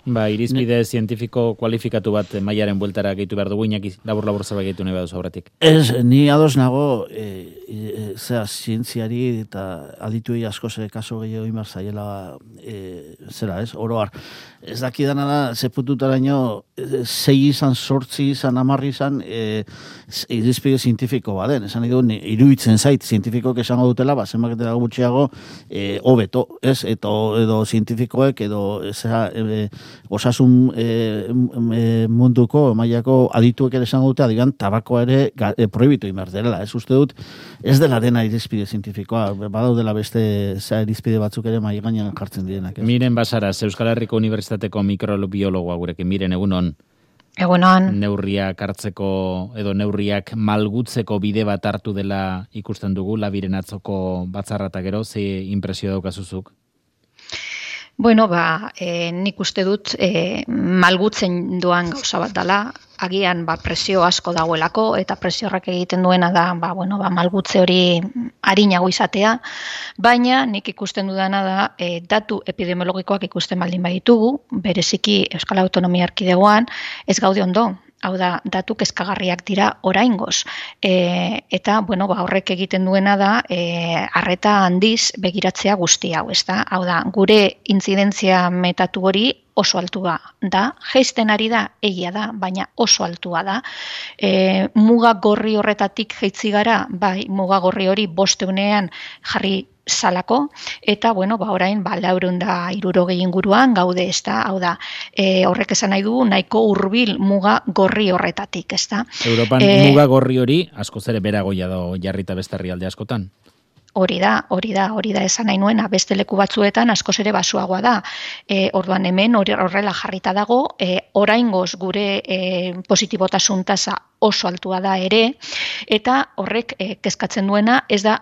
Irizpide zientifiko kualifikatu bat mailaren bueltara gehitu behar dugu, Iñaki, labur zerbait gehitu nahi baduzu aurretik. Ni ados nago, zientziari eta adituei asko kaso gehiago imar zaiela, oroar. Ez dakidana da, zepututaraino, 6 izan, 8 izan, 10 izan, irizpide zientifiko baden. Esan edo, iruditzen zait, zientifikoek esango dutela, zenbaketera gutxiago, hobeto, ez? Edo zientifikoek, edo osasun munduko, mailako adituek ere esango dute, adigan, tabakoa ere prohibitu imar dela. Ez uste dut, ez dela dena irizpide zientifikoa, badaudela beste irizpide batzuk ere mai gainean jartzen direnak. Miren Basaras, Euskal Herriko Unibertsitateko mikrobiologoa gurekin, miren egunon. Egunon. Neurriak hartzeko edo neurriak malgutzeko bide bat hartu dela ikusten dugu, Labiren atzoko batzarra eta gero, ze impresio daukazuzuk? Bueno, nik uste dut malgutzen doan gauza bat dela, agian presio asko dagoelako eta presio horrek egiten duena da malgutze hori arinago izatea, baina nik ikusten dudana da datu epidemiologikoak ikusten baldin baditugu, bereziki Euskal Autonomia Erkidegoan ez gaude ondo. Hau da, datu kezkagarriak dira oraingoz. Eta, horrek egiten duena da, arreta handiz begiratzea guzti hau, ezta? Hau da, gure intzidentzia metatu hori oso altua da, jaisten ari da, egia da, baina oso altua da. Muga gorri horretatik jaitsi gara, muga gorri hori 500ean jarri salako, eta, orain, 460 inguruan gaude, ezta? Hau da, horrek esan nahi du, nahiko hurbil muga gorri horretatik, ezta? Europan muga gorri hori, askoz ere beragoia da jarrita beste herrialde askotan. Hori da esan nahi nuena, beste leku batzuetan askoz ere basuagoa da. Orduan hemen horrela jarrita dago, oraingoz gure positibotasun tasa oso altua da ere, eta horrek kezkatzen duena ez da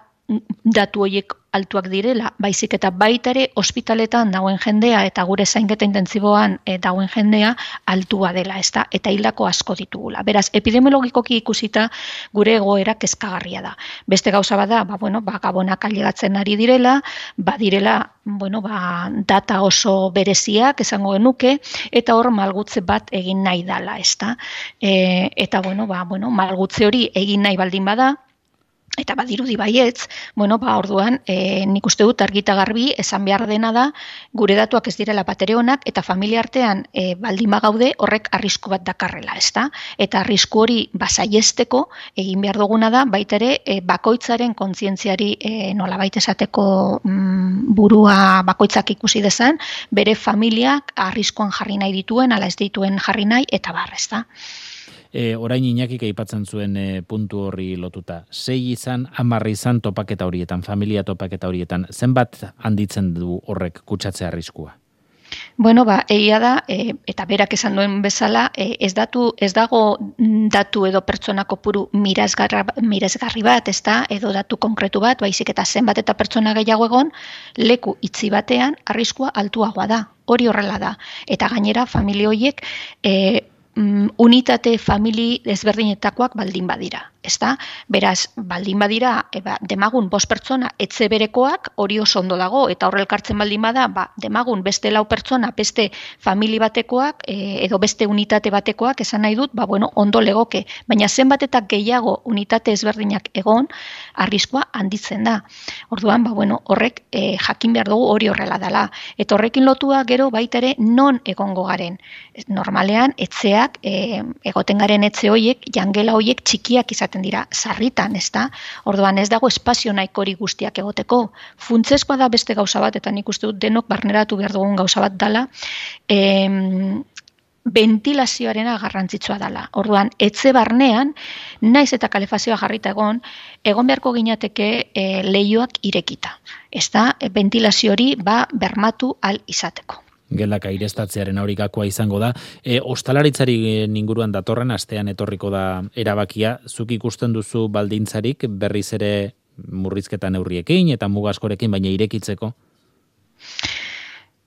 datu horiek altuak direla, baizik eta baita ere ospitaletan dagoen jendea eta gure zainketa intentsiboan dagoen jendea altua dela, ezta? Eta hildako asko ditugula. Beraz, epidemiologikoki ikusita gure egoera kezkagarria da. Beste gauza bada, gabonak ailegatzen ari direla, badirela, data oso bereziak esango genuke, eta hor malgutze bat egin nahi dala, ezta? Eta, malgutze hori egin nahi baldin bada, eta badirudi baietz, orduan, nik uste dut argita garbi esan behar dena da, gure datuak ez direla batere onak, eta familia artean baldin bagaude horrek arrisku bat dakarrela, ezta? Eta arrisku hori saiesteko egin behar duguna da, baita ere bakoitzaren kontzientziari nolabait esateko burua bakoitzak ikusi dezan, bere familiak arriskuan jarri nahi dituen, ala ez dituen jarri nahi, eta ezta? Orain Iñakik aipatzen zuen puntu horri lotuta. 6 izan, 10 izan topaketa horietan, familia topaketa horietan. Zenbat handitzen du horrek kutsatzea arriskua? Egia da, eta berak esan duen bezala, ez dago datu edo pertsona kopuru miresgarri bat, ezta, edo datu konkretu bat, baizik eta zenbat eta pertsona gehiago egon, leku itxi batean arriskua altuagoa da. Hori horrela da. Eta gainera, familia horiek unitate famili ezberdinetakoak baldin badira, ezta? Beraz, baldin badira, demagun 5 pertsona etxe berekoak, hori oso ondo dago, eta horrel kartzen baldin bada, demagun beste 4 pertsona, beste famili batekoak, edo beste unitate batekoak, esan nahi dut, ondo legoke, baina zenbat eta gehiago unitate ezberdinak egon, arriskua handitzen da. Orduan, horrek jakin behar dugu hori horrela dela. Eta horrekin lotua gero baita ere non egongo garen. Normalean, etxeak, egoten garen etxe horiek, jangela horiek txikiak izaten dira, sarritan, ezta? Orduan ez dago espazio nahikori guztiak egoteko. Funtsezkoa da beste gauza bat, eta nik uste dut denok barneratu behar dugun gauza bat dela, ventilazioarena garrantzitsua dela. Orduan, etxe barnean, naiz eta kalefazioa jarrita egon beharko ginateke leihoak irekita. Ezta, ventilazio hori bermatu al izateko. Gelak airestatzearen aurikakoa izango da. Ostalaritzari inguruan datorren astean etorriko da erabakia. Zuk ikusten duzu baldintzarik berriz ere murrizketa neurriekin eta mugaskorekin, baina irekitzeko?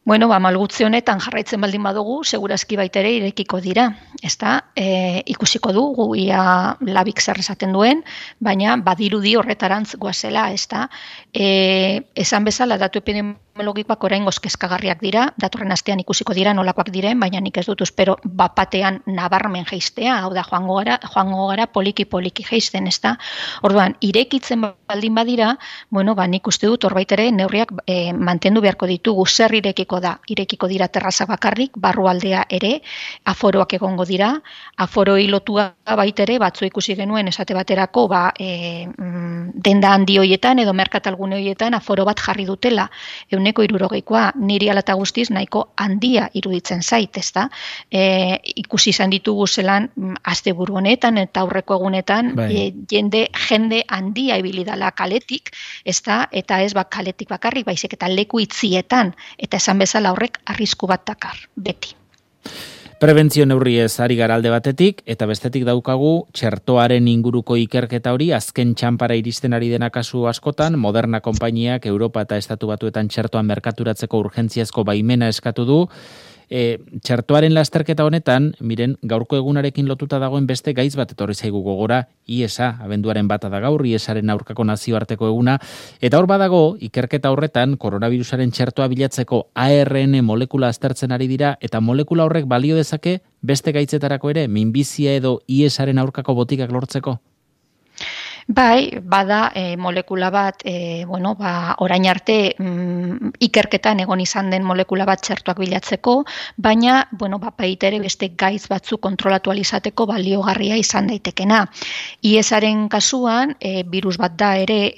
Malgutze honetan jarraitzen baldin badugu, segurazki baita ere irekiko dira. Ezta, ikusiko dugu ia labik zer esaten duen, baina badirudi horretarantz goazela, ezta. Esan bezala datu epidemiologikoak epidemiologikoak oraingoz kezkagarriak dira, datorren astean ikusiko dira nolakoak diren, baina nik ez dut espero bapatean nabarmen jaistea, hau da joango gara poliki jaisten, ezta? Orduan, irekitzen baldin badira, nik uste dut horbait ere neurriak mantendu beharko ditugu. Zer irekiko da? Irekiko dira terrazak bakarrik, barrualdea ere, aforoak egongo dira, aforoi lotua baitere, batzu ikusi genuen esate baterako, denda handi hoietan edo merkatalgune hoietan aforo bat jarri dutela, 160koa, niri ala eta guztiz nahiko handia iruditzen zait, ezta? Ikusi izan ditugu zelan asteburu honetan eta aurreko egunetan jende handia ibili dela kaletik, ezta? Eta ez kaletik bakarrik, baizik eta leku itzietan, eta esan bezala horrek arrisku bat dakar, beti. Prebentzio neurriez ari gara alde batetik, eta bestetik daukagu txertoaren inguruko ikerketa hori azken txanpara iristen ari dena kasu askotan, Moderna konpainiak Europa eta Estatu Batuetan txertoan merkaturatzeko urgentziazko baimena eskatu du. Txertoaren lasterketa honetan, miren, gaurko egunarekin lotuta dagoen beste gaiz bat etorri zaigu gogora, IESA, abenduaren bata da gaur, IESaren aurkako nazioarteko eguna, eta hor badago, ikerketa horretan, koronavirusaren txertoa bilatzeko ARN molekula aztertzen ari dira, eta molekula horrek balio dezake beste gaitzetarako ere, minbizia edo IESaren aurkako botikak lortzeko? Bai, bada molekula bat, orain arte ikerketan egon izan den molekula bat txertoak bilatzeko, baina, baitere beste gaiz batzu kontrolatu alizateko baliogarria izan daitekena. IESaren kasuan, virus bat da ere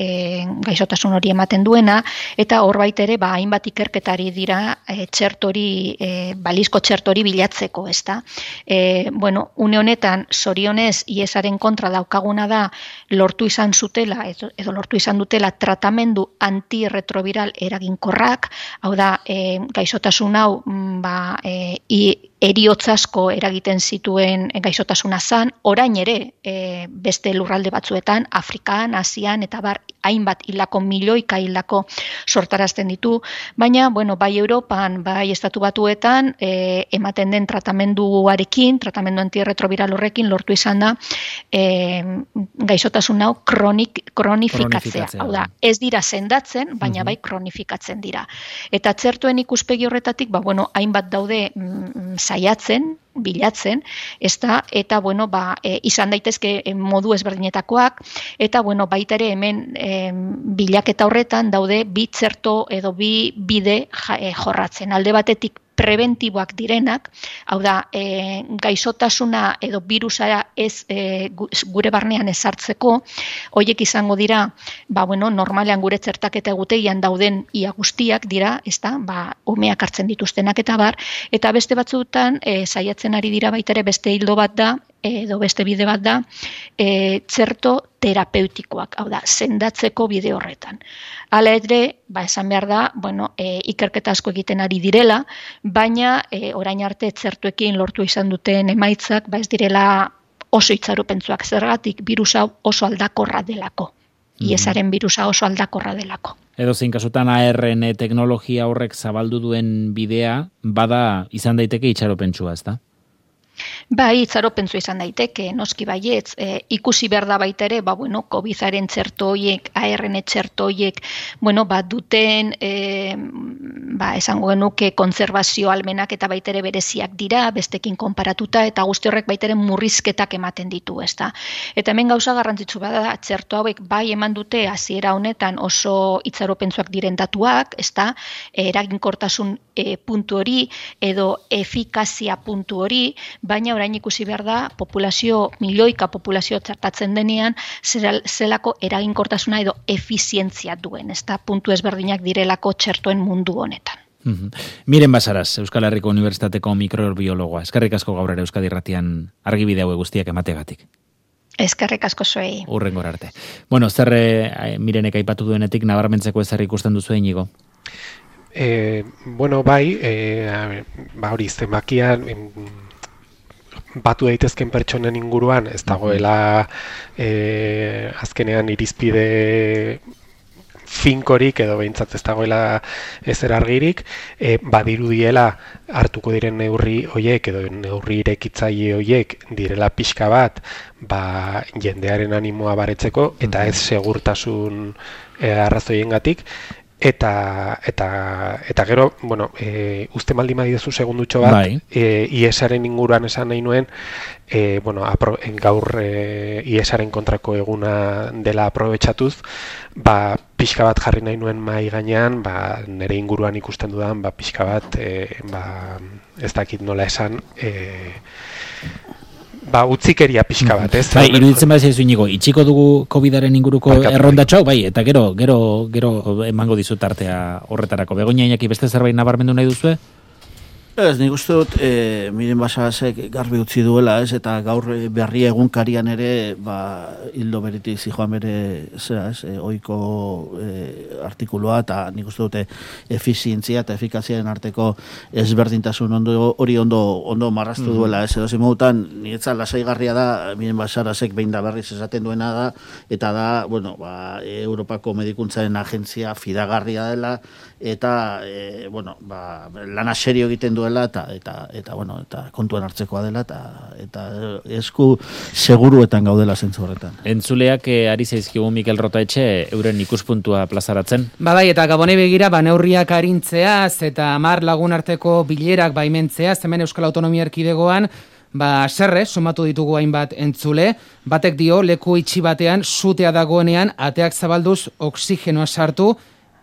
gaixotasun hori ematen duena, eta hor baitere, hainbat ikerketari dira txertori, balizko txertori bilatzeko, ezta? Une honetan, zorionez, IESaren kontra daukaguna da, lortu izan zutela, edo lortu izan dutela tratamendu antirretroviral eraginkorrak, hau da, gaixotasun hau, eriotz asko eragiten zituen gaixotasuna zan, orain ere beste lurralde batzuetan, Afrikan, Asian, eta hainbat hilako, milioika hilako sortarazten ditu, baina, bai Europan, bai Estatu Batuetan, ematen den tratamendu antirretroviral horrekin lortu izan da, gaixotasun hau kronifikatzea. Hau da, ez dira sendatzen, baina bai kronifikatzen dira. Eta txertuen ikuspegi horretatik, hainbat daude saiatzen, bilatzen, eta izan daitezke modu ezberdinetakoak, eta baita ere hemen bilaketa horretan daude bi txerto edo bi bide jorratzen. Alde batetik preventiboak direnak, hau da, gaixotasuna edo virusara ez gure barnean ezartzeko, horiek izango dira, normalean gure txertaketa egutegian dauden ia guztiak dira, umeak hartzen dituztenak eta beste batzuetan saiatzen ari dira baitere beste hildo bat da, edo beste bide bat da, txerto terapeutikoak, hau da, sendatzeko bide horretan. Hala ere, esan behar da, ikerketa asko egiten ari direla, baina orain arte txertuekin lortu izan duten emaitzak, ez direla oso itxaropentsuak, zergatik virusa oso aldakorra delako. IESaren virusa oso aldakorra delako. Edo zein kasutan ARN teknologia horrek zabaldu duen bidea, bada izan daiteke itxaropentsua, ezta? Bai, itxaropentsu izan daiteke, noski baietz, ikusi behar da baita ere, COVID-aren txerto horiek, ARN txerto horiek, duten, esango genuke kontserbazio almenak eta baita ere bereziak dira, bestekin konparatuta, eta guzti horrek baita ere murrizketak ematen ditu, ezta. Eta hemen gauza garrantzitsu bada, txerto hauek bai eman dute hasiera honetan oso itxaropentsuak diren datuak, ezta, eraginkortasun puntu hori, edo efikazia puntu hori, baina orain ikusi behar da, milioika populazio txertatzen denean, zelako eraginkortasuna edo efizientzia duen, ezta puntu ezberdinak direlako txertoen mundu honetan. Miren Basaras, Euskal Herriko Unibertsitateko mikrobiologoa. Eskerrik asko gaur ere Euskadi Irratian argibide hauek guztiak emategatik. Eskerrik asko zuei. Hurrengora arte. Zer Mirenek aipatu duenetik nabarmentzeko ezer ikusten duzu Iñigo? Hori zenbakian batu daitezken pertsonen inguruan ez dagoela azkenean irizpide finkorik edo behintzat ez dagoela ezer argirik, badirudiela hartuko diren neurri hoiek edo neurri irekitzaile hoiek direla pixka bat jendearen animoa baretzeko eta ez segurtasun arrazoiengatik. Eta gero, bueno, uste maldi madidezu segundutxo bat, IESaren inguruan esan nahi nuen, bueno, gaur IESaren kontrako eguna dela aprobetxatuz, pixka bat jarri nahi nuen mai gainean, nire inguruan ikusten dudan, pixka bat, ez dakit nola esan, utzikeria pixka bat, ez? Iruditzen bat zaizu Inigo, itxiko dugu COVID-aren inguruko errondatxo, eta gero emango dizut artea horretarako. Begoña Iñaki, beste zerbait nabarmendu nahi duzue? Ez, nik uste dut, Miren Basarasek garbi utzi duela, ez, eta gaur berri egunkarian ere, hildo beritik zijoan bere, zera, ez, oiko artikulua, eta nik uste dute efizientzia eta efikaziaren arteko ezberdintasun hori ondo marraztu duela, ez, edo zimugutan, niretzat lasaigarria da, Miren Basarasek behin da berriz esaten duena da, eta da, bueno, Europako Medikuntzaren Agentzia fidagarria dela, eta, bueno, lana serio egiten duela, eta kontuan hartzekoa dela, eta esku seguruetan gaudela zentzu horretan. Entzuleak ari zaizkigu Mikel Rotaetxe euren ikuspuntua plazaratzen. Bai, eta Gabonei begira, neurriak arintzeaz, eta 10 lagun arteko bilerak baimentzeaz, hemen Euskal Autonomia Erkidegoan, serre, sumatu ditugu hainbat entzule, batek dio, leku itxi batean, sutea dagoenean, ateak zabalduz, oxigenoa sartu,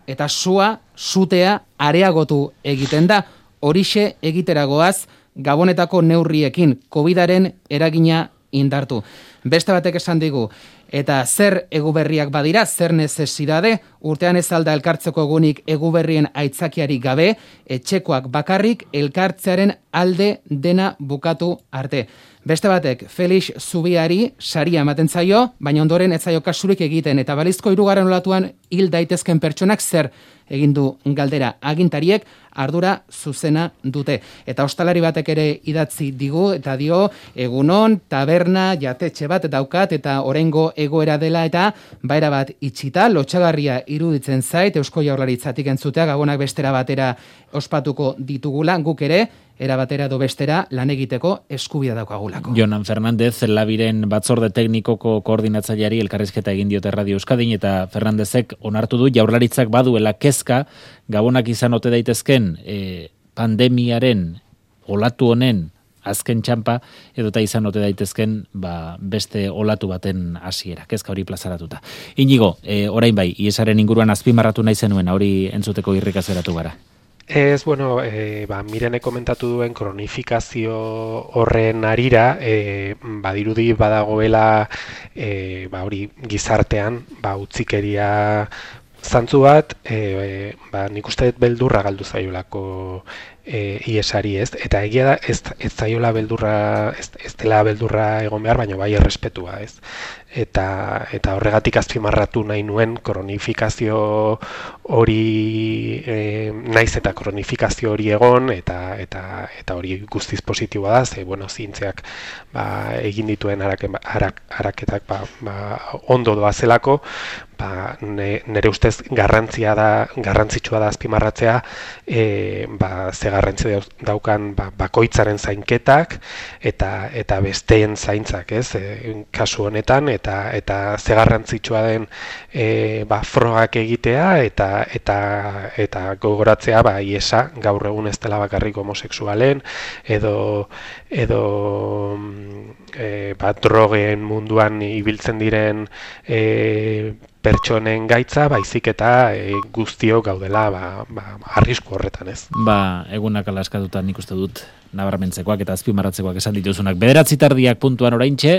eta sutea areagotu egiten da. Horixe egiteragoaz Gabonetako neurriekin COVID-aren eragina indartu. Beste batek esan digu, eta zer eguberriak badira, zer nezesidade, urtean ez alda elkartzeko egunik eguberrien aitzakiari gabe, etxekoak bakarrik elkartzearen alde dena bukatu arte. Beste batek, Felix Zubiari saria ematen zaio, baina ondoren ez zaio kasurik egiten, eta balizko 3. olatuan hil daitezken pertsonak zer egin du galdera agintariek, ardura zuzena dute. Eta ostalari batek ere idatzi digu, eta dio, egunon, taberna, jatetxe bat daukat, eta oraingo egoera dela, eta baera bat itxita, lotxagarria iruditzen zait, Eusko Jaurlaritzatik entzutea, Gabonak bestera batera ospatuko ditugula, guk ere, era batera do bestera lan egiteko eskubidea daukagulako. Jonan Fernandez, Labiren batzorde teknikoko koordinatzaileari elkarrizketa egin diote Radio Euskadin, eta Fernandezek onartu du Jaurlaritzak baduela kezka Gabonak izan ote daitezken pandemiaren olatu honen azken txampa edota izan ote daitezken beste olatu baten hasiera. Kezka hori plazaratuta. Inigo, orain bai, IESaren inguruan azpimarratu nahi zenuen, hori entzuteko irrikazeratu gara. Ez, bueno, Mirene komentatu duen kronifikazio horren arira, badirudi badagoela hori gizartean, utzikeria zantzu bat, nik uste dut beldurra galdu zaiolako IESari, ez? Eta egia da, ez zaiola beldurra, ez dela beldurra egon behar, baina bai errespetua, ez? Eta horregatik azpimarratu nahi nuen kronifikazio hori, naiz eta kronifikazio hori egon, eta hori guztiz positiboa da, ze, bueno, zientziak egin dituen araketak ondo doazelako, nire ustez garrantzitsua da azpimarratzea, ze garrantzi daukan bakoitzaren zainketak eta besteen zaintzak, ez? Kasu honetan, eta ze garrantzitsua den frogak egitea eta gogoratzea IESa gaur egun ez dela bakarrik homosexualen edo drogen munduan ibiltzen diren pertsonen gaitza, baizik eta guztiok gaudela arrisku horretan, ez? Egunak alaskatuta nik uste dut nabarmentzekoak eta azpimarratzekoak esan dituzunak. 9:00 puntuan oraintxe,